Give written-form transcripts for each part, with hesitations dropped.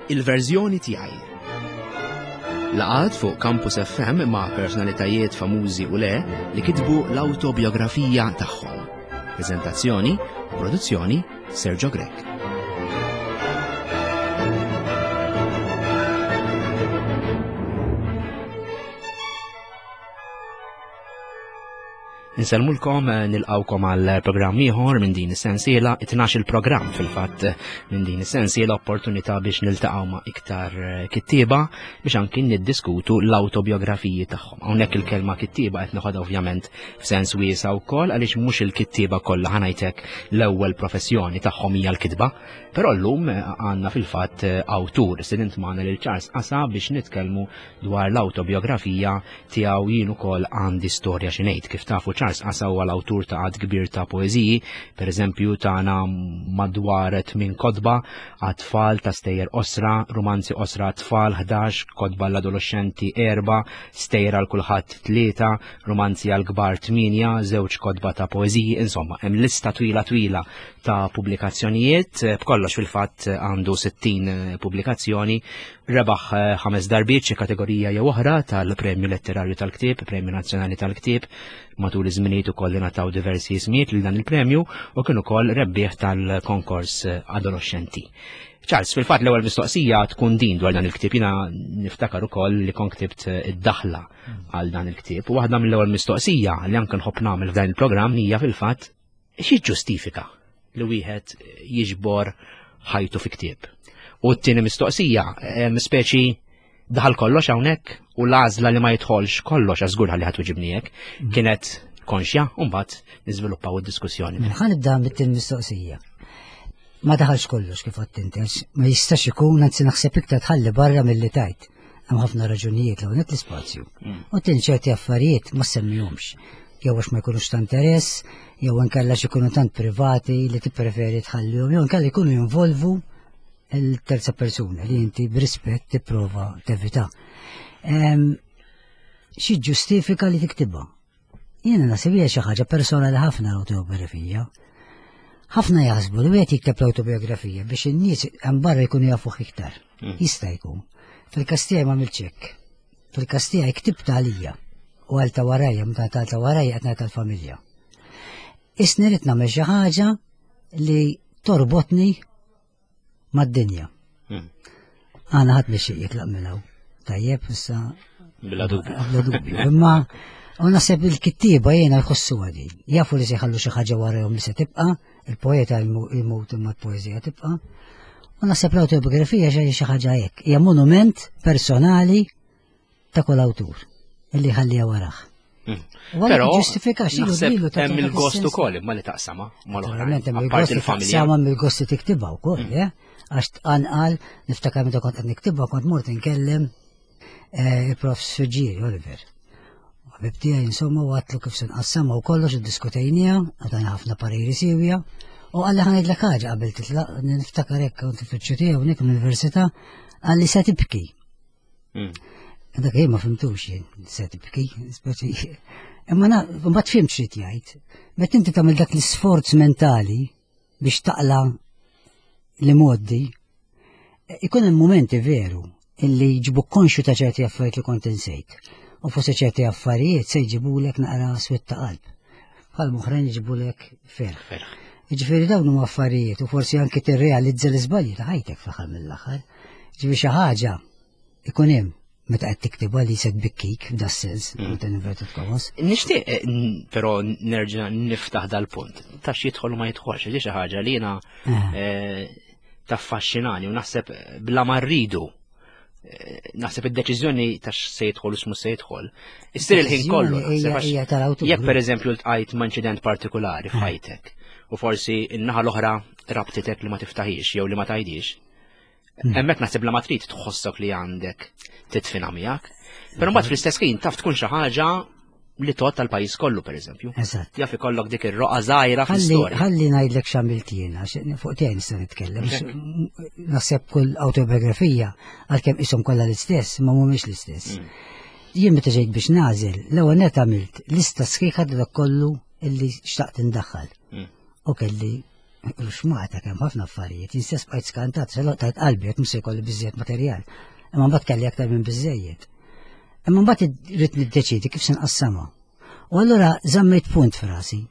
Il-verżjoni tiegħi. Laqgħat fuq Campus FM ma' personalitajiet famużi u le li kitbu l-awtobiografija tagħhom. Preżentazzjoni u produzzjoni Sergio Grech. Insellmulkom eh, nilqawkom għal programm ieħor minn din is-sensiela, it-12 il-programm fil-fatt eh, minn din is-sensiela opportunità biex niltaqgħu ma' iktar eh, kittieba biex anki niddiskutu l-awtobiografiji tagħhom. Hawnhekk il-kelma kittieba qed noħodha ovvjament f'sens wiesa' wkoll għaliex mhux il-kittieba kollha ħanajtek l-ewwel professjoni tagħhom hija l-kitba, però llum għandna fil-fatt awtur sidint magħna lil Charles Qasa biex nitkellmu dwar l-awtobiografija tiegħu jien ukoll għandi storja xi ngħid. Kif tafu Charles Qasa huwa l-awtur ta' għadd kbir ta' poeżiji, pereżempju tagħna madwar tmien kotba għat-tfal ta' stejjer qosra, rumanzi qosra għat-tfal 11, kotba l-adolescenti erba, stejjer għal kulħadd tlieta, rumanzi għal kbar tmienja, żewġ kotba ta' poeżiji, insomma, hemm lista twila twila ta' pubblikazzjonijiet, b'kollox fil-fatt għandu 60 pubblikazzjoni Rebaħ eh, ħames darbiet xi kategorija jew oħra tal-Premju Letterarju tal-Ktieb, Premju Nazzjonali tal-Ktieb, matul iż-żminijiet ukoll ingħataw diversi ismijiet lil dan il-premju u kien ukoll rebbieħ tal-konkors eh, adolescenti. Charles, fil-fatt l-ewwel mistoqsija tkun din dwar dan il-ktieb. Jiena niftakar ukoll li kont ktibt eh, id-daħla għal dan il-ktieb. U waħda mill-ewwel mistoqsija li anke nħobb nagħmel f'dan il-programm hija fil-fatt Xi ġustifika li wieħed jiġbor ħajtu fi ktieb? U t-tieni mistoqsija, speċi daħal kollox hawnhekk u l-għażla li ma jidħolx kollox għaż żgur ħalli ħadd wiġibni hekk, mm. kienet konxja u mbagħad niżviluppaw id-diskussjoni. Mela, ħa nibda mit-tieni mistoqsija. Ma daħalx kollox kif għadt inti, ma jistax ikun anzi naħseb iktar tħalli barra milli tajt. Hemm ħafna raġunijiet l net l-ispazju. Mm. U tin ċerti affarijiet ma semmihomx. Jew għax ma jkunux ta' interess, jew inkella xi jkunu tant privati li tippreferi tħallihom, jew inkella jkunu jinvolvu il-terza persuna li inti b'rispett tipprova tevita. Xi ġustifika li tiktibha? Jiena naħseb hija xi ħaġa personali ħafna l-awtobiografija. Ħafna jaħsbu li wieħed jikteb l-awtobiografija biex in-nies hemm barra jkunu jafuh iktar. Mm. Jista' jkun. Fil-każ tiegħi ma hekk. Fil-każ tiegħi ktibt għalija u għal ta' warajja, meta ta' warajja qed ngħid tal-familja. Isni rid nagħmel xi ħaġa li torbotni mad-dinja. Hmm. Għana ħadd mixi jitlaq minn hawn. Tajjeb, issa. Bla dubju. Bla dubju. Imma u naħseb il-kittieba jiena jħossu għadi. Jafu li se jħallu xi ħaġa warahom li se tibqa', il-poeta jmut imma l-poeżija tibqa'. U naħseb l-autobiografija xi ħaġa hekk. Hija monument personali ta' kull awtur illi ħallija warah. Hmm. Però ġustifikax naħseb hemm il-gost ukoll imma li taqsama mal-oħrajn. Hemm il-gost taqsama mill-gost li tiktibha wkoll, hmm. eh? Għax tqanqal niftakar meta kont qed niktibha kont mort inkellem eh, il-prof Suġġieri Oliver. Ħabib tiegħi insomma u għatlu kif se nqassama u kollox iddiskutejniha, għadana ħafna pariri siwja. U għalli ħanajdlek ħaġa qabel titlaq, niftakar hekk kont fil-ċu tiegħu nik l-università, għalli se tibki. Hmm. Dak jien ma fimtux jien, se tibki, speċi. Imma na, mbagħad fimt xi jgħid. Meta inti tagħmel dak l-isforz mentali biex taqla li moddi, ikun hemm momenti veru illi jġibu konxu ta' ċerti affarijiet li kont insejt. U forsi ċerti affarijiet se jġibulek naqra swit ta' qalb. Bħal moħrejn jġibulek ferħ. Ġifieri dawn huma affarijiet u forsi anki tirrealizza l-iżbalji ta' ħajtek fl-aħħar mill-aħħar. Ġifieri xi ħaġa ikun hemm meta qed tiktibha li se tbikkik f'da sens, mm. meta inverted commas. Nixtieq eh, però nerġa' niftaħ dal-punt. Ta' xi jidħol u ma jidħolx, di xi ħaġa li jiena eh. eh, taffaxxinani u naħseb bla ma rridu naħseb id-deċiżjoni ta' se jidħol u x'mhux se jidħol. Issir il-ħin kollu. Jekk pereżempju ltqajt ma' inċident partikolari f'ħajtek u forsi n-naħa l-oħra rabtitek li ma tiftaħix jew li ma tajdix, Hmm. Hemmhekk naħseb la ma trid tħossok li għandek titfina miegħek. Però mbagħad fl-istess ħin taf tkun xi ħaġa li tot tal-pajjiż kollu pereżempju. Eżatt. Jaf ikollok dik ir-roqa żgħira fl-istorja. Ħalli ngħidlek x'għamilt jiena, fuq tiegħi nista' nitkellem. Naħseb kull autobiografija għalkemm ishom kollha l-istess, ma mhumiex l-istess. Hmm. Jien meta ġejt biex nażel, l-ewwel net għamilt lista sħiħa dak kollu illi xtaqt indaħħal. Hmm. U kelli. Ruxmata kemm ħafna affarijiet, jien stess bqajt skantat, se tajt qalbi jekk mhux se jkolli biżżejjed materjal. Imma mbagħad kelli aktar minn biżżejjed. Imma mbagħad irrid niddeċiedi kif se nqassamha. U allura żammejt punt f'rasi.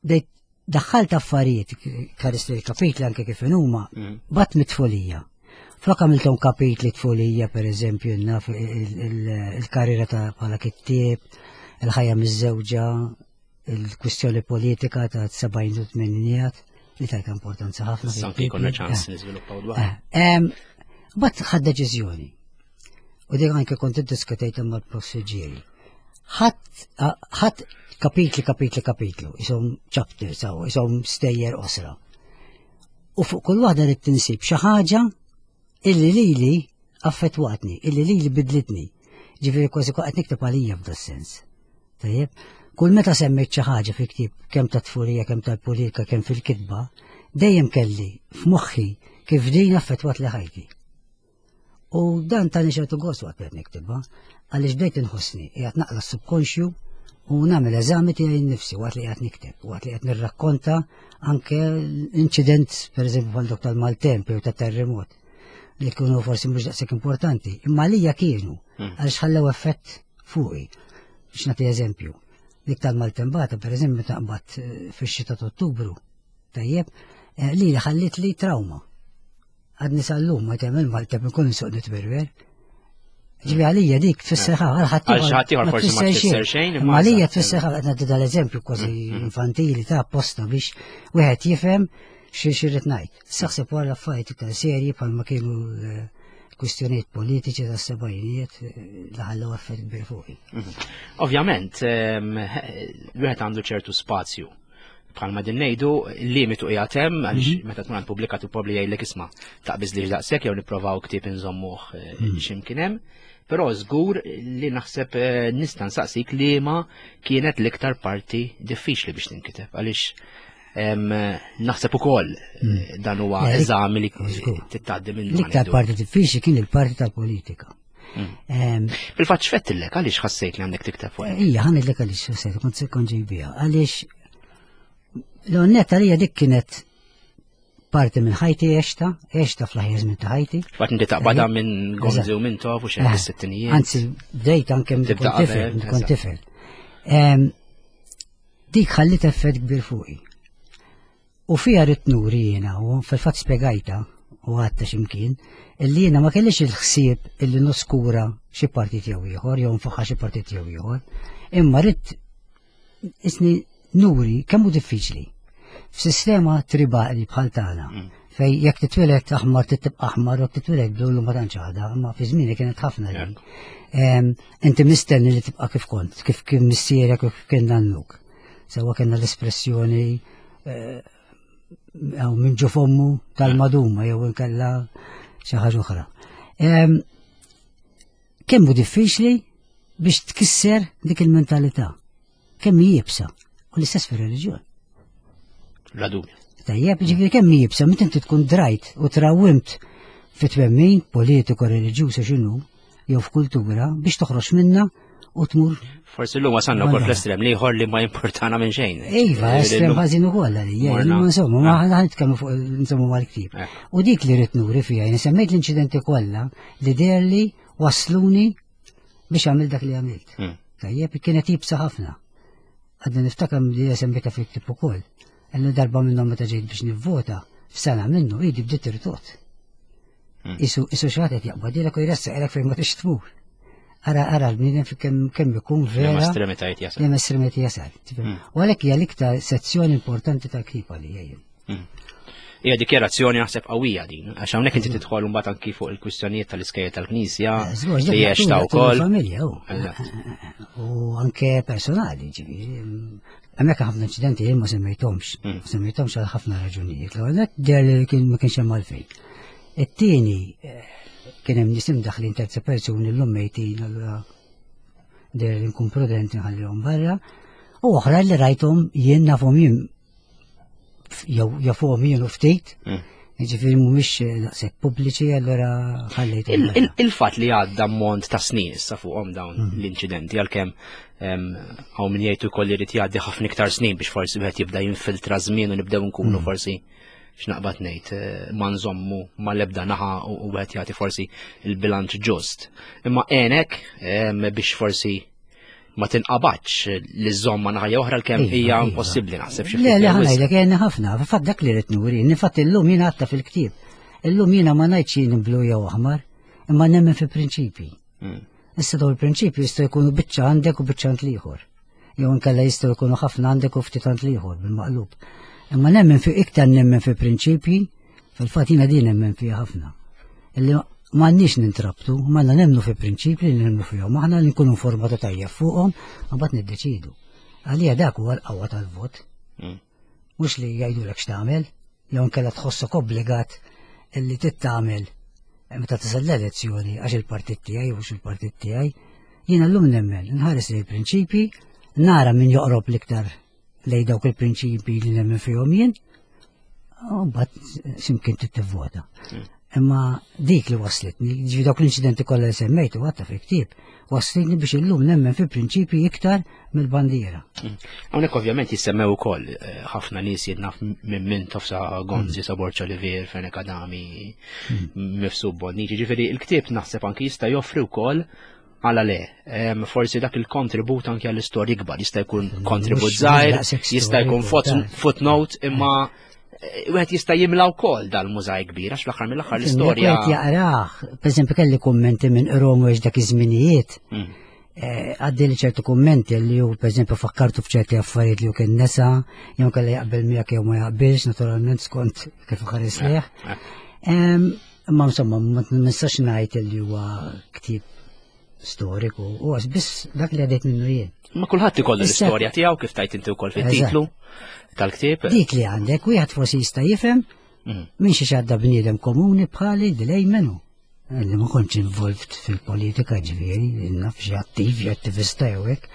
Bdejt daħħalt affarijiet karist li kapitli anke kif huma, mm. bat mit-tfulija. Flok għamilthom kapitli tfulija, per eżempju, naf il-karriera ta' bħala kittieb, il-ħajja miż-żewġa, il-kwistjoni politika ta' 70 u 80 li tajta importanza ħafna. Sanki konna ċans eh. niżviluppaw dwar. Eh, bat ħad deċiżjoni. U dik anke kont iddiskutejt mal-prossiġieri. Ħadd kapitli, kapitli, kapitlu, isom chapters, isom stejjer osra. U fuq kull waħda li tinsib xi ħaġa illi lili affettwatni, illi lili bidlitni. Ġifieri kważi qed nikteb għalija f'da sens. Tajjeb, kull meta semmejt xi ħaġa fi ktieb kemm ta' tfurija, kemm tal-politika, kemm fil-kitba, dejjem kelli f'moħħi kif din affettwat li ħajti. U dan tani ċertu gost waqt qed niktibha, għaliex bdejt inħossni qiegħed naqla s-subkonxju u nagħmel eżami tiegħi nnifsi waqt li qiegħed nikteb, waqt li qed nirrakkonta anke inċident pereżempju bħal dok tal-maltemp jew tat-terremot li kienu forsi mhux daqshekk importanti, imma għalija kienu hmm. għaliex ħallew effett fuqi. Biex nagħti eżempju, dik tal-maltembata pereżempju taqbad eh, fix-xita ta' Ottubru, tajjeb, eh, li ħallit li trauma. Għadni sal-lum ma tagħmel Malta ikun nsuq nitwerwer. Ġibi għalija dik tfisser ħafna, għal ħadd forsi ma tfisser xejn. Imma għalija tfisser ħafna qed nagħti dal-eżempju kważi mm, mm. infantili ta' apposta biex wieħed jifhem xi xirrid ngħid. Saħseb wara affarijiet iktar serji bħalma kienu eh, kwistjonijiet politiċi tas sebgħinijiet eh, li ħallew effett kbir fuqi. Mhm. Ovvjament, ehm, wieħed għandu ċertu spazju bħalma din ngħidu limitu qiegħed hemm għaliex mhm. meta tkun għand pubblikatu probabli jgħidlek isma' taqbiż li daqshekk jew nipprovaw ktieb inżommuh eh, mhm. x'imkien hemm. Però żgur li naħseb eh, nista' nsaqsik liema kienet l-iktar parti diffiċli biex tinkiteb għaliex naħseb ukoll mhm. eh, dan huwa eżami li titgħaddi minn. L-iktar parti diffiċli kien il-parti tal-politika. Mm. Fil-fatt x'fettillek għaliex ħassejt li għandek tikteb fuq? Ija, ħanidlek għaliex ħassejt, kont se kont ġejbija. Għaliex l-onnet għalija dik kienet parti minn ħajti għexta, għexta fl-aħjar żmien ta' ħajti. Fatt inti taqbada minn Gonzi u minn Tof u xejn eh, is-sittinijiet. Anzi, bdejt anke minn kont tifel, kont tifel. Dik ħallit effett kbir fuqi. U fiha ridt nuri jiena, u fil-fatt spjegajtha u għadtha xi mkien, illi jiena ma kellix il-ħsieb illi noskura xi partit jew ieħor jew nfaħħar xi partit jew ieħor, imma ridt isni nuri kemm hu diffiċli f'sistema tribali bħal tagħna mm. fej jekk titwieled aħmar titibqa' aħmar u titwieled blu ma tantx għadha, imma fi żmieni kienet ħafna li. Inti mistenni li tibqa' kif kont, kif kien missierek u kif kien nannuk. Sewa kellna l-espressjoni eh, minn ġo fommu tal-maduma jew inkella xi ħaġa oħra. Kemm hu diffiċli biex tkisser dik il-mentalità. Kemm hi jibsa. U l-istess fir-reliġjon. La dubju. Tajjeb, ġifieri kemm hi jibsa, meta inti tkun drajt u trawimt fit twemmin politiku reliġjuż x'inhu, jew f'kultura biex toħroġ minna u tmur. Forsi l-lum wasanna wkoll fl-estrem li ieħor li ma jimportana minn xejn. Iva, estrem ħażin ukoll għalija, imma insomma, ma ħa nitkellmu fuq insomma mal-ktieb. Eh. U dik li rrid nuri fiha, jien semmejt l-inċidenti kollha li deherli wasluni biex għamil dak li għamilt. Hmm. Tajjeb, kienet jibsa ħafna. Għadni niftakar li semmejta fil-ktieb ukoll. Illi darba minnhom meta ġejt biex nivvota, f'sena minnu idi bdiet irtot. Hmm. Isu isu xi ħadd qed jaqbadilek u jressaqlek fejn ma tix tmur. Ara ara l-bniedem fi kemm kemm ikun vera. Liema estremitajiet jasal. Liema estremitajiet jasal. Hmm. U għalhekk hija l-iktar sezzjoni importanti tal-ktieb għalija jien. Hmm. Hija dikjerazzjoni naħseb qawwija din, għax hawnhekk inti tidħol mbagħad anki fuq il-kwistjonijiet tal-iskejjel tal-Knisja eh, li għex wkoll. Familja u anke personali, ġifieri. Hemmhekk ħafna inċidenti jien ma semmejthomx, mm. ma semmejthomx għal ħafna raġunijiet. L-ewwel nett deher li kien ma kienx hemm għalfejn. It-tieni eh, kien hemm nies imdaħlin terza persuni llum mejtin allura deher li nkun prudenti nħallihom barra. U oħra li rajthom jien nafhom jien jew jafuhom jien u ftit. Mm. Ġifieri mhumiex eh, daqshekk pubbliċi allura ħallejt. Il-fatt li għadda mont ta' snin issa fuqhom dawn mm. l-inċidenti għalkemm Hawn min jgħid ukoll irid jgħaddi ħafna iktar snin biex forsi wieħed jibda jinfiltra żmien u nibdew nkunu mm. forsi x'naqbad ngħid eh, ma nżommu ma lebda naħa u wieħed jagħti forsi il-bilanċ ġust. Imma għenek biex forsi ma tinqabadx li żomm ma naħa oħra l-kemm iva, hija iva. impossibbli naħseb xi Le, le ħanajdlek għenni ħafna, fatt dak li rrid nuri, nifatt illum jiena għatta fil-ktieb. Illum jiena ma ngħidx jien blu jew aħmar, imma nemmen fi prinċipji. Mm. Issa dawn il-prinċipji jistgħu jkunu biċċa għandek u biċċa għand l-ieħor. Jew inkella jistgħu jkunu ħafna għandek u ftit għand l-ieħor bil-maqlub. Imma nemmen fi iktar nemmen fi prinċipji, fil-fatt jiena din nemmen fiha ħafna. Illi m'għandniex nintrabtu, m'għandna nemmnu fi prinċipji li nemmnu fihom, aħna li nkunu informati tajjeb fuqhom, mbagħad niddeċidu. Għalija dak huwa l-qawwa tal-vot. Mm. Mhux li jgħidulek x'tagħmel, jew inkella tħossok obbligat illi tittamel meta tasal l-elezzjoni għax il-partit tiegħi u il-partit tiegħi. Jiena llum nemmen, nħares lejn prinċipji, nara min joqrob l-iktar lej dawk il-prinċipji li nemmen fihom jien, u mbagħad x'imkien tittivvota. Hmm. Imma dik li waslitni, ġifi dawk l-inċidenti kollha li semmejtu għatta fil-ktieb, waslitni biex illum nemmen fi prinċipji iktar mill-bandiera. Mm. Hawnhekk ovvjament jissemmew ukoll eh, ħafna nies jidnaf minn minn tofsa Gonzi, mm. Saborċa Olivier, Fenek Adami, mm. Mifsu Bonnici, ġifieri il-ktieb naħseb anki jista' joffri wkoll għala le, forsi dak il-kontribut anki għall-istorja ikbar, jista' jkun kontribut żgħir, jista' jkun footnote, imma eh, wieħed jista' jimla wkoll dal-mużaj kbir għax fl-aħħar mill-aħħar l-istorja. Wieħed jaqrah, pereżempju kelli kummenti minn Romu għax dak iż-żminijiet. Mm. Eh, għaddi li ċertu kummenti li ju, per eżempju, fakkartu f'ċerti affarijiet li ju kien nesa, jew kelli jaqbel miegħek jew ma jaqbilx, naturalment skont kif ħares liħ. Imma insomma, ma nistax ngħid li huwa ktieb storiku, u għax biss dak li għadejt minnu jien. Ma kulħadd ikollu l-istorja tiegħu kif tajt inti wkoll fit-titlu tal-ktieb. Dik li għandek, wieħed forsi jista' jifhem mm. minn xi xadda bniedem komuni bħali delej menu. Li ma kontx involved fil-politika ġifieri, naf xi attiv, xi attivista jew hekk.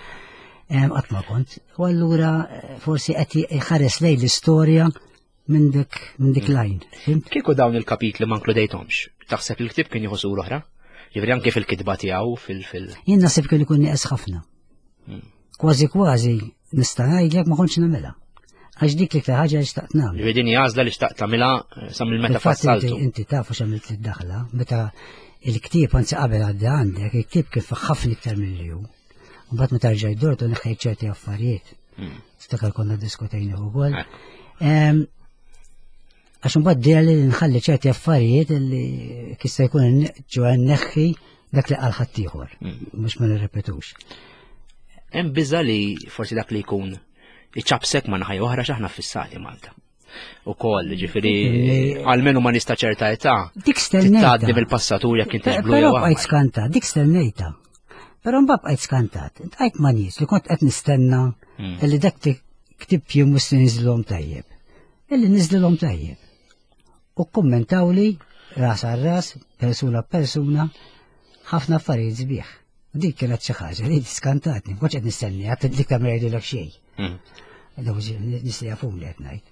Qatt ma kont. U allura eh, forsi qed jħares lejn l-istorja minn dik minn dik mm. lajn. Kieku dawn il-kapitli ma nkludejthomx, taħseb il-ktieb kien jieħu sur oħra? Ġifieri anke fil-kitba tiegħu fil-fil. Jien naħseb kien ikun nieqes ħafna. Mm. Kważi kważi nista' ngħidlek ma kontx nagħmilha. Għax dik li ħaġa li xtaqt nagħmel. Ġifieri din għażla li xtaqt tagħmilha eh, sa mill meta fassaltu. Inti taf għax għamilt id-daħla, meta il-ktieb anzi qabel għaddi għandek, il-ktieb kif ħafna iktar mill hu. Mbagħad meta rġajt dortu neħħejt ċerti affarijiet. Hmm. Tiftakar konna diskutejna wkoll. Għax imbagħad dejja li nħalli ċerti affarijiet li kista jkun ġo neħħi dak li qal ħaddieħor, hmm. mhux ma nirrepetux. Hemm biża li forsi dak li jkun iċabsek ma naħaj oħra x'aħna fissati Malta. U koll, ġifiri, għalmenu ma nista ċerta età. Dik stennejta. Tgħaddi mill-passatur jekk inti blu Però bqajt skanta, dik stennejta. Però mbagħad bqajt skantat. Bqajt ma nies li kont qed nistenna hmm. li dak ktib jiem mhux se niżlhom tajjeb. Illi niżlilhom tajjeb. U kkummentawli ras għal ras, persuna persuna, ħafna affarijiet sbieħ. Dik kienet xi ħaġa li skantatni, ma qed nistenni, għad dik ta' jgħidulek xejn. Mm. Daw nies li jafuni qed ngħid.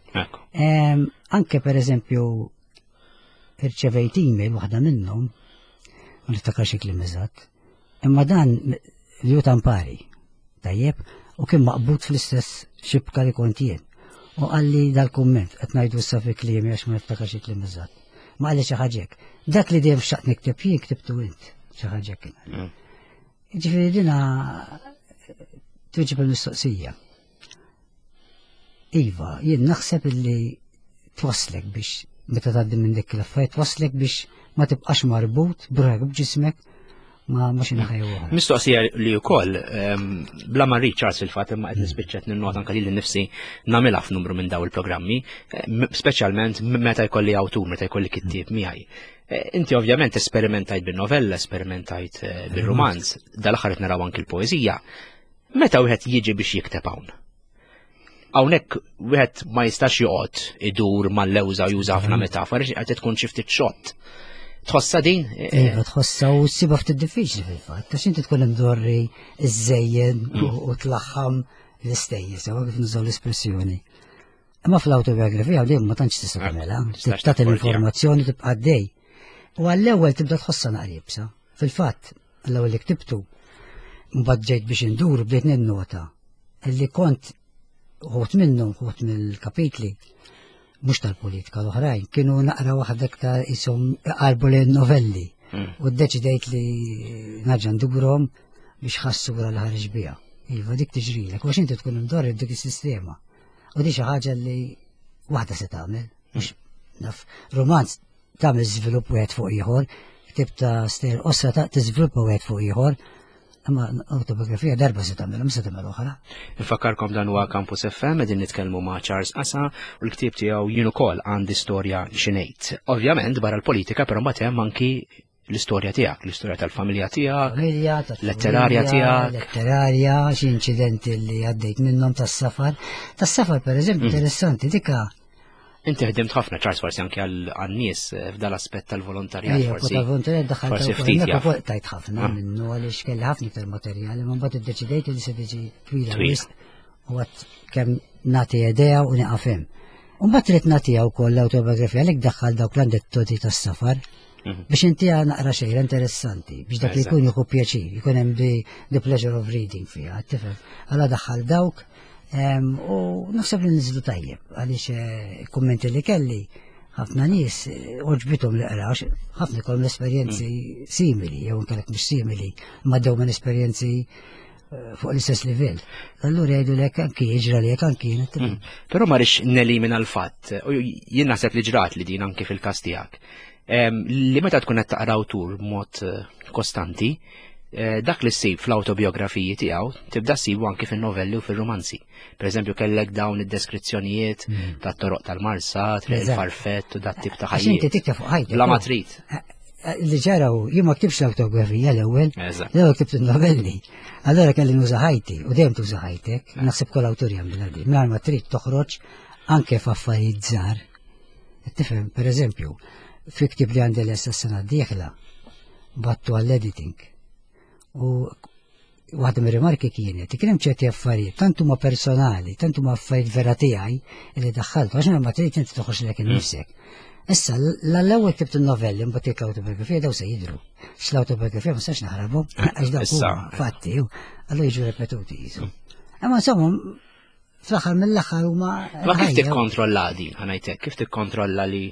Anke pereżempju irċevejt email waħda minnhom, ma niftakar xi kliem eżatt, imma dan li hu tampari, tajjeb, u kien maqbud fl-istess xibka li kont jien. U qalli dal-kumment, qed ngħidu issa fi kliemi għax ma niftakar xi kliem eżatt. Ma qalli xi ħaġa hekk. Dak li dejjem xtaqt nikteb jien ktibtu int, xi ħaġa kien. Mm. Ġifieri dina tweġib il-mistoqsija. Iva, jien naħseb illi twasslek biex meta tgħaddi minn dik l-affarijiet twasslek biex ma tibqax marbut b'ruħek b'ġismek ma ma xi naħa jew oħra. Mistoqsija li wkoll ehm, bla ma rrid Charles fil-fatt imma qed nispiċċa ninnota anke lili nnifsi nagħmilha f'numru minn daw il-programmi, eh, speċjalment meta jkolli awtur, meta jkolli kittieb miegħi. Eh, inti ovvjament esperimentajt bin-novella, esperimentajt eh, bir-romanz, dal-aħħar qed naraw anki l-poeżija. Meta wieħed jiġi biex jikteb hawn? Hawnhekk wieħed ma jistax joqgħod idur mal-lewża u juża ħafna mm. metafori qed tkun xi ftit xott. Tħossa din? Iva, tħossa u ssiba ftit diffiċli fil-fatt, għax inti tkun imdorri iżżejjen mm. u tlaħħam l-istejjes, sewa kif nużaw l-espressjoni. Imma fl-autobiografija dejjem ma tantx tista' tagħmilha, tagħti l-informazzjoni tibqa' dej. U għall-ewwel tibda tħossha naqribsa. Fil-fatt, l-ewwel li ktibtu. Mbagħad ġejt biex indur bdejt ninnota li kont uħut minnhom, uħut mill-kapitli, mhux tal-politika l-oħrajn, kienu naqra waħda iktar isom qalbu lejn novelli. U ddeċidejt li nerġa' ndurhom biex ħassura li ħareġ biha. Iva, dik tiġrilek, għax inti tkun imdorri dik is-sistema. U di xi ħaġa li waħda se tagħmel, mhux naf, romanz tagħmel żvilupp wieħed fuq ieħor, ktib ta' stejjer qosra ta' tiżviluppa wieħed fuq ieħor, imma autobiografija darba se tagħmel, se tagħmel oħra. Infakkarkom dan huwa Campus FM qegħdin nitkellmu ma' Charles Asa u l-ktieb tiegħu jien ukoll għandi storja xi ngħid. Ovvjament barra l-politika però mbagħad hemm anki l-istorja tiegħek, l-istorja tal-familja tiegħek, Familja, letterarja tiegħek. Letterarja, xi inċidenti li għaddejt minnhom tas-safar. Tas-safar pereżempju interessanti dika Inti ħdimt ħafna Charles forsi anke għan-nies eh, f'dal aspett tal-volontarjat Ejja, forsi. tal-volontarjat daħħalt forsi ukoll, ftit hemmhekk jaf. ukoll tajt ħafna Ah. minnu għaliex kelli ħafna iktar materjali, ma mbagħad iddeċidejt li se tiġi twila Twila. wisq u għad kemm nagħti idea u nieqaf hemm. U mbagħad trid nagħtiha wkoll l-autobiografija għalhekk daħħal dawk l-aneddotti tas-safar biex intiha naqra xejra interessanti biex dak li Eżatt. jkun jieħu pjaċir, jkun hemm the, the pleasure of reading fiha, tifhem. Għala daħħal dawk u naħseb li niżlu tajjeb għaliex eh, kummenti li kelli ħafna nies eh, oġbithom li qra għax ħafna jkollhom esperjenzi simili jew inkellek mhux simili ma dew minn esperjenzi eh, fuq l-istess livell. Allura jgħidu lek anki jiġra lek anki jien tifhem. Però ma rix nelimina l-fatt, u jien naħseb li ġrat li din anki fil-każ tiegħek. Li meta tkun qed taqra awtur b'mod eh, kostanti, eh, dak li ssib fl-autobiografiji tiegħu tibda ssibu anki fin-novelli u fir-romanzi. Per eżempju kellek dawn id-deskrizzjonijiet tat-toroq tal-Marsa, triq Eżatt. il-farfett u dat tip ta' Għax inti ħajjiet. tikteb fuq ħajtek. Bla ma trid. Eh, Li ġaraw, jien ma ktibx l-autobiografija l-ewwel, Eżatt. l-ewwel ktibt il-novelli. Allora kelli nuża ħajti u dejjem tuża ħajtek, naħseb kol awtur jagħmilha di. Mingħajr ma trid toħroġ anke f'affarijiet żgħar. Tifhem, per eżempju, fi ktib li għandi lesta s-sena d-dieħla, battu għall-editing. U waħda mir-rimarki kienet, kien hemm ċerti affarijiet, tant huma personali, tant huma affarijiet vera tiegħi li daħħaltu, għax ma trid inti toħroġ lek innifsek. Issa, l-ewwel ktibt il-novelli, mbagħad tiek l-autobiografija daw se jidru. X-l-autobiografija ma sax naħrabu, għax dawk Issa. huma fatti, u allura jiġu repetuti jisu. Imma insomma, fl-aħħar mill-aħħar huma. Ma kif ħajja. tikkontrolla din, ħanajtek, kif tikkontrolla li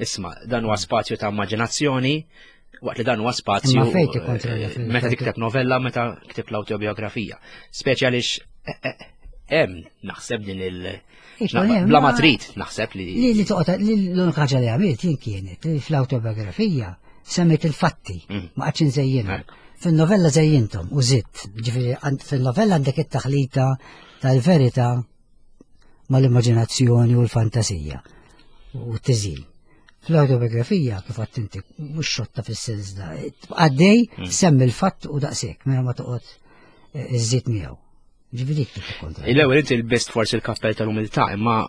isma' dan huwa spazju ta' immaġinazzjoni, waqt li dan huwa spazju Imma fejn tikkontrolla eh, fil- meta tikteb novella, meta ktib l-autobiografija. Speċi għaliex eh, eh, hemm naħseb din il- Ikun hemm, Bla ma ma- trid naħseb li Li li toqgħod li l-unika ħaġa li għamilt jien kienet li fl-autobiografija semmejt il-fatti, ma qgħadx inżejjinhom. Ekk. Fin-novella żejjinthom u żidt, ġifieri fin-novella għandek it-taħlita tal-verità mal-immaġinazzjoni u l-fantasija u t-tiżjin. Fl-autobiografija, kif għadt inti, mhux xotta fis-sens da, għaddej semmi l-fatt u daqshekk, mela ma toqgħod eh, iżżid miegħu. Ġifieri dik kif tikkontrolla. L-ewwel inti l-best forsi l-kappell tal-umiltà, imma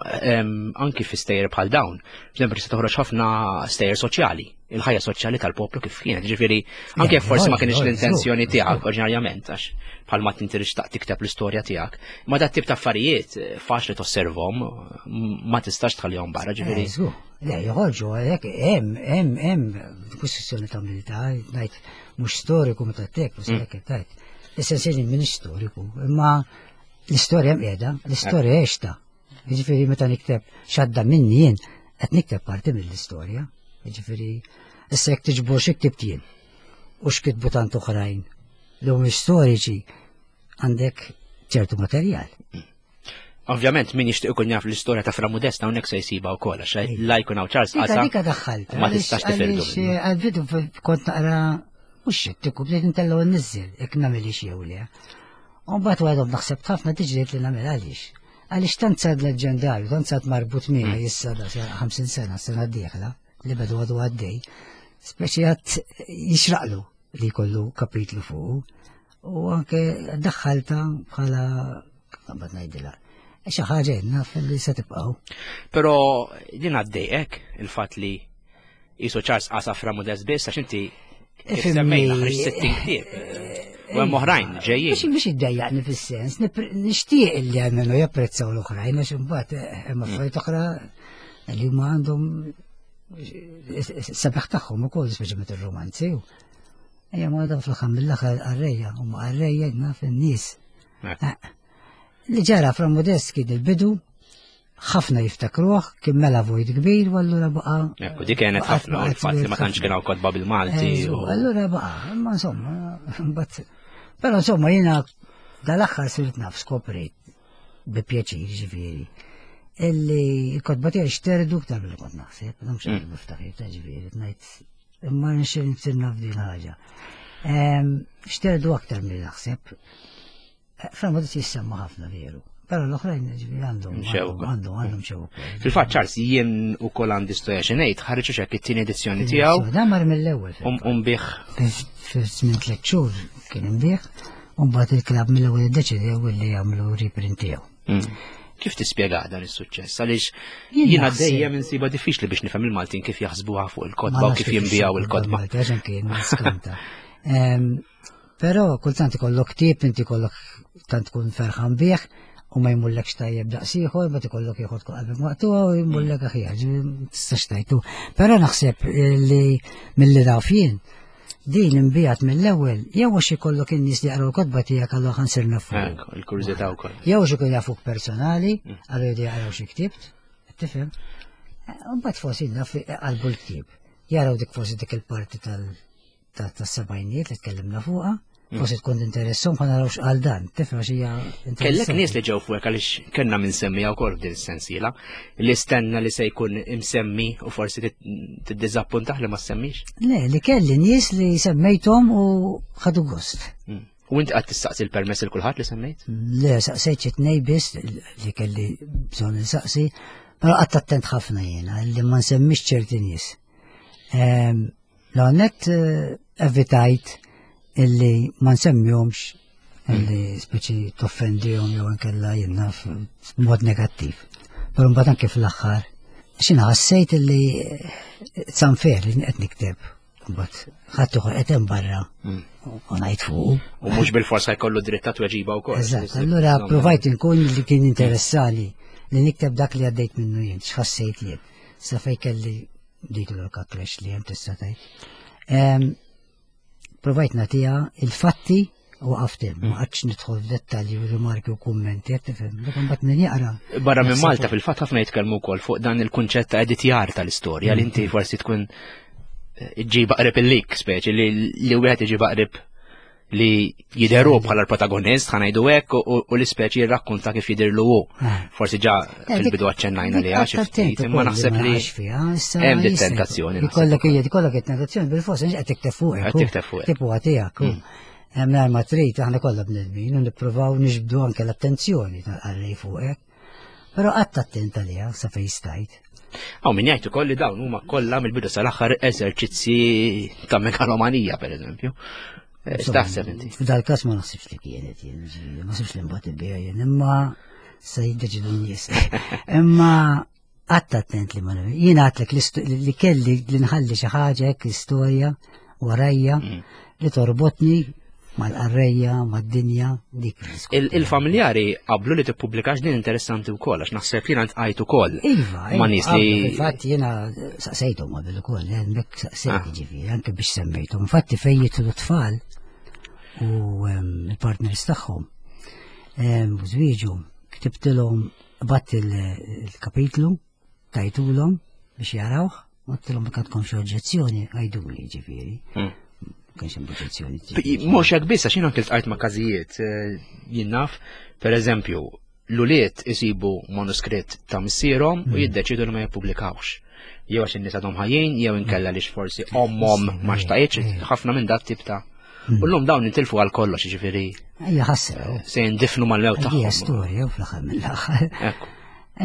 anki fi stejjer bħal dawn, per se toħroġ ħafna stejjer soċjali, il-ħajja soċjali tal-poplu kif kienet, ġifieri anke Le, forsi ma le, kienx le, l-intenzjoni żgur, tiegħek żgur. oriġinarjament, għax bħalma tinti tixtaq tikteb l-istorja tiegħek. Ma dat tip ta' affarijiet eh, faċli tosservhom, ma tistax tħallihom barra, ġifieri. Eh, żgur. Le, joħorġu għalhekk hemm hemm hemm kwistjoni ta' milità, ngħid mhux storiku meta tek, mhux hekk tajt. Essenzjali minn storiku, imma l-istorja hemm qiegħda, l-istorja għexta. Jiġifieri meta nikteb x'għadda minni jien, qed nikteb parti mill-istorja. Jiġifieri issa jekk tiġbor xi ktibt jien u x'kitbu tant oħrajn li huma storiċi għandek ċertu materjal. Ovvjament min jixtieq ikun jaf l-istorja ta' Fra Modesta hawnhekk se jsibha wkoll għax la jkun hawn Charles Dika Qasa. dika daħħalta. Ma tistax tifirdu Għaliex, minnu. eh, Għal-bidu kont naqra mhux xettiku bdejt intellgħu n-niżżel jekk nagħmel jew le. U mbagħad waħdhom naħseb ħafna tiġriet li nagħmel għaliex. Għaliex tant sar leġendarju, tant sar marbut miegħi issa da 50 sena, sena d-dieħla, li bedu għadu għaddej. Speċi għad jixraqlu li jkollu kapitlu fuq. U anke daħħalta bħala mbagħad ngħidilha. Xi ħaġa naf li se tibqgħu. Però din għaddejqek il-fatt li jisu Charles Qasa Fra Modest biss għax inti kif Ifhimni. semmejna ħriġt 60 ktieb. U hemm oħrajn ġejjin. Biex biex iddejjaqni fis-sens, nixtieq li għalmenu japprezzaw l-oħrajn għax imbagħad eh, hemm affarijiet oħra li huma għandhom sabiħ tagħhom ukoll speċjalment ir-romanzi. Ejja ma dan fl-aħħar mill-aħħar qarrejja, huma qarrejja naf in-nies. Eh. Li ġara fra Modest kien il-bidu, ħafna jiftakruh, kien mela vojt kbir, u allura baqa. Ekku, dik kienet ħafna, u l-fatt li ma tantx kien hawn kotba bil-Malti. Allura baqa, imma insomma, mbagħad. Però insomma jiena dal-aħħar sirt naf skoprejt bi pjaċir ġifieri. Illi l-kotba tiegħi xterdu ktar mill kont naħseb, mhux mm. niftakar ta' ġifieri, ngħid imma nixtieq nsir naf din ħaġa. Xterdu aktar mill naħseb. Eh, Fra ma jissemma ħafna veru. Però l-oħrajn ġifieri għandhom għandhom għandhom xew. Fil-fatt Charles jien ukoll għandi storja xi ngħid ħareġ hekk it-tieni edizzjoni tiegħu. Dan mar mill-ewwel. Um, um bih. Fi żmien tliet xhur kien imbih. U mbagħad il-klabb mill-ewwel iddeċidew li jagħmlu reprint tiegħu. Mm. Kif tispjega dan is-suċċess? Għaliex jiena dejjem insiba diffiċli biex nifhem il-Maltin kif jaħsbuha fuq il-kotba u kif jinbijaw il-kotba. Però kultant ikollok ktieb, inti kollok tant tkun ferħan bih u ma jmullekx tajjeb daqs ieħor, ma tikollok ieħor tkun qalbek maqtuha u jmullek aħjar, tistax tajtu. Però naħseb li milli naf jien, din imbijat mill-ewwel, jew għax ikollok in-nies li jaqraw l-kotba tiegħek allura ħa nsir nafu. Il-kurżità wkoll. Jew għax ikun jafuk personali, mm. allura jridu jaqraw xi ktibt, tifhem. Mbagħad forsi naf qalbu l-ktieb. Jaraw dik forsi dik il-parti tal- tas-sebgħinijiet li tkellimna fuqha, mm. forsi tkun interessom ħa naraw x'qal dan, tifhem għax hija Kellek nies li ġew fuqek għaliex kellna minn semmija wkoll f'din is-sensiela li stenna li se jkun imsemmi u forsi tiddiżappuntah li ma semmix. Le, li kelli nies li semmejthom u ħadu gost. Mm. U inti qatt tistaqsi l-permess il kulħadd li semmejt? Le, saqsejt xi tnej biss li kelli bżonn insaqsi, però qatt attent ħafna jiena li ma nsemmix ċerti nies. Ehm, L-għonet eh, evitajt illi ma nsemmihomx illi speċi toffendihom jew inkella jiena f'mod negattiv. Però mbagħad anke fl-aħħar x'inha ħassejt illi eh, it's unfair li qed nikteb. Mbagħad ħadd ieħor qed hemm barra mm. u ngħid fuq. U mhux bil-forsa jkollu dritt ta' tweġiba wkoll. Eżatt, allura provajt inkun li kien interessali li nikteb dak li għaddejt minnu jien, x'ħassejt jien. Sa fej kelli dik l-orka crash li hemm tista' tgħid. Provajt nagħtiha il-fatti u għaftim, ma qgħadx nidħol f'dettalji u rimarki u kummenti, qed tifhem, dak imbagħad min jaqra. Barra minn Malta fil-fatt ħafna jitkellmu wkoll fuq dan il-kunċett ta' editjar tal-istorja li inti mm. forsi tkun eh, ġiba qrib il-lik speċi li wieħed iġiba qrib li jideru bħala l-protagonist, ħanajdu hekk, u l-ispeċi jirrakkonta kif jidirlu hu. Eh. Forsi ġa eh, fil-bidu aċċennajna li għax ftit, imma naħseb li hemm dit tentazzjoni. Ikollok hija ikollok it-tentazzjoni bil-fors qed tikteb fuq. Qed tikteb fuq. Tipu tiegħek. Mm. Hemm ma trid aħna kollha bnedmin u nippruvaw niġbdu anke l-attenzjoni tal-qarrej fuqek. Però qatt attent għaliha sa fejn stajt. Għaw min jgħid ukoll li dawn huma kollha mill-bidu sal-aħħar eżerċizzji ta' megalomanija pereżempju. Eh, x'taħseb inti? F'dal-każ ma naħsibx li kienet jien, ma naħsibx li mbagħad ibiha jien, imma se jiddeċidu n-nies. Imma qatt attent li ma jien għatlek li kelli li nħalli xi ħaġa hekk istorja warajja mm. li torbotni mal-qarrejja, mad-dinja, dik. Il-familjari qablu li tippubblikax din interessanti wkoll għax naħseb jiena ntqajt ukoll. Iva, ma nies li. Infatti jiena saqsejthom qabel ukoll, eh, bekk saqsejt ah. ġifieri, anke biex semmejthom. Infatti fejn jitlu tfal u ehm, il-partners tagħhom ehm, u żwieġu ktibtilhom bat il-kapitlu tajtulhom biex jarawh, għedtilhom jekk għandkom xi oġġezzjoni għiduli ġifieri. Hmm. Kienx hemm oġġezzjoni. Mhux hekk biss għax jien anke ltqajt ma' każijiet eh, jien naf, pereżempju, l-ulied isibu manuskritt ta' missierhom u hmm. jiddeċidu li ma jippubblikawx. Jew għax in-nies għadhom ħajjin, jew inkella li forsi ommhom ma xtaqitx, ħafna minn dat tip ta' Hmm. U l-lum dawn intilfu għal kollox, ġifiri. Ejja ħassra. Se jindifnu mal-mew tagħhom. Hija storja u fl-aħħar mill-aħħar.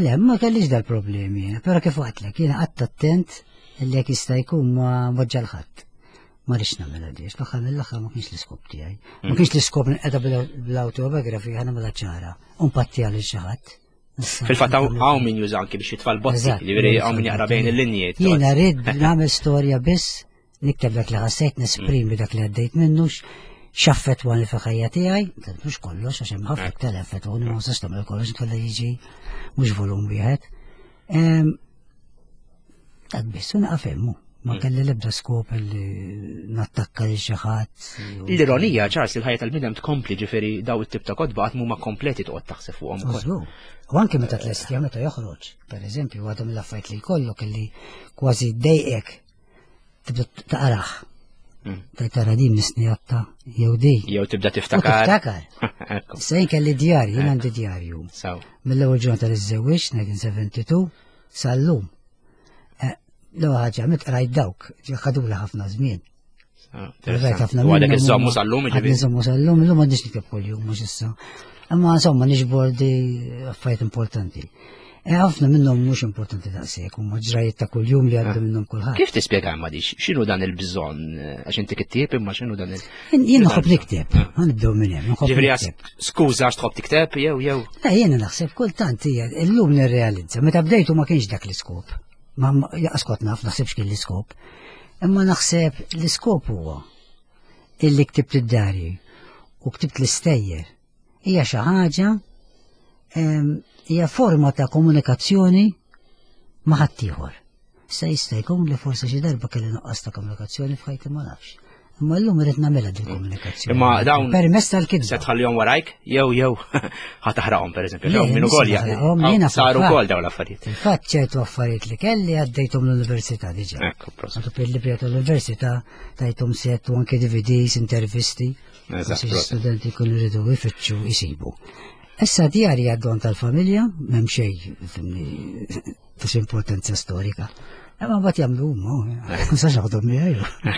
Le, ma kellix dal-problemi, però kif għatlek, jiena qatt attent li jekk jista' jkun ma moġġa l-ħadd. Ma rridx nagħmilha di, fl-aħħar mill-aħħar ma kienx l-iskop tiegħi. Ma hmm. kienx l-iskop nqeda bl-autobiografija nagħmilha ċara, u npatti għal xi ħadd. Fil-fatt hawn min juża anki biex jitfal bozzi, ġifieri hawn min jaqra bejn il-linji. Jiena rrid nagħmel storja biss nikteb dak li ħassejt, nesprimi dak li għaddejt minnu, x'affettwani fil-ħajja tiegħi, mhux kollox għax hemm ħafna iktar affettwani ma nistax tagħmel kollox inkella jiġi mhux volum wieħed. Dak biss u naqaf hemmu. Ma mm. kelli l-ebda skop li nattakka li xi ħadd. L-ironija, Charles, il-ħajja tal-bniedem tkompli ġifieri daw it-tip ta' kotba qatt huma kompleti toqgħod taħseb fuqhom ukoll. U anke meta tlestija meta joħroġ, per eżempju, għadhom l-affarijiet li jkollok illi kważi dejqek tibda taqraħ. Mm. Tara di misni għatta, jew di. Jew tibda tiftakar. Tiftakar. Issa jien kelli djarju, jien għandi djarju. Mill-ewwel ġurnata li żżewwiġt, 1972, sal-lum. Eh, l-ewwel ħaġa mit qrajt dawk, ħadula ħafna żmien. Ah, ħafna minnhom. Għadek iżommu sal-lum, ġifieri. Iżommu sal-lum, illum m'għandix nikteb kuljum mhux issa. Imma insomma niġbor di affarijiet importanti. E ħafna minnhom mhux importanti daqshekk, huma ġrajiet ta' kuljum li għaddu ah. minnhom kulħadd. Kif tispjega ma dix? X'inhu dan il-bżonn? Għax inti kittieb imma x'inhu dan il Jien nħobb nikteb, ah. ħanibdew minn hemm, nħobb nikteb. Skuża għax tħobb tikteb jew jew. Le jiena naħseb kultant hija illum nirrealizza, meta bdejtu ma kienx dak l-iskop. Ma jaqas kont naf naħsibx kien l-iskop. Imma naħseb l-iskop huwa illi ktibt id-darji u ktibt l-istejjer hija xi ħaġa hija forma ta' komunikazzjoni ma' ħaddieħor. Issa jista' jkun li forsi xi darba kelli nuqqas ta' komunikazzjoni f'ħajti ma nafx. Imma llum irid nagħmilha din komunikazzjoni. Imma dawn permess tal-kitba. Se tħallihom warajk jew jew ħa taħraqhom pereżempju. Jew minn ukoll jiena saru wkoll dawn l-affarijiet. Fil-fatt ċertu affarijiet li kelli għaddejthom l-università diġà. Ekku, prosit. Għandu il-libri tal-università tajthom set u anke DVDs, intervisti. Eżatt. Studenti jkunu jridu jfittxu jsibu. Issa djarji għad-don tal-familja, m'hemm xejn ta' xi importanza storika. Imma mbagħad jagħmlu huma, ma sax jaħdom miegħi.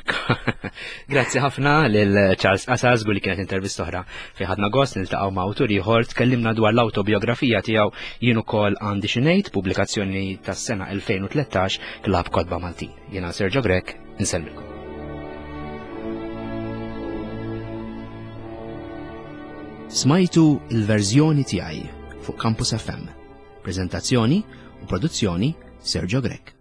Grazzi ħafna lil Charles Qasas li kienet intervista oħra fi ħadna gost niltaqgħu ma' awtur ieħor tkellimna dwar l-awtobiografija tiegħu jien ukoll għandi xi ngħid pubblikazzjoni tas-sena 2013 Klabb Kotba Maltin. Jiena Sergio Grech, insellmilkom. Smajtu l-verżjoni tiegħi fuq Campus FM. Prezentazzjoni u produzzjoni Sergio Grech.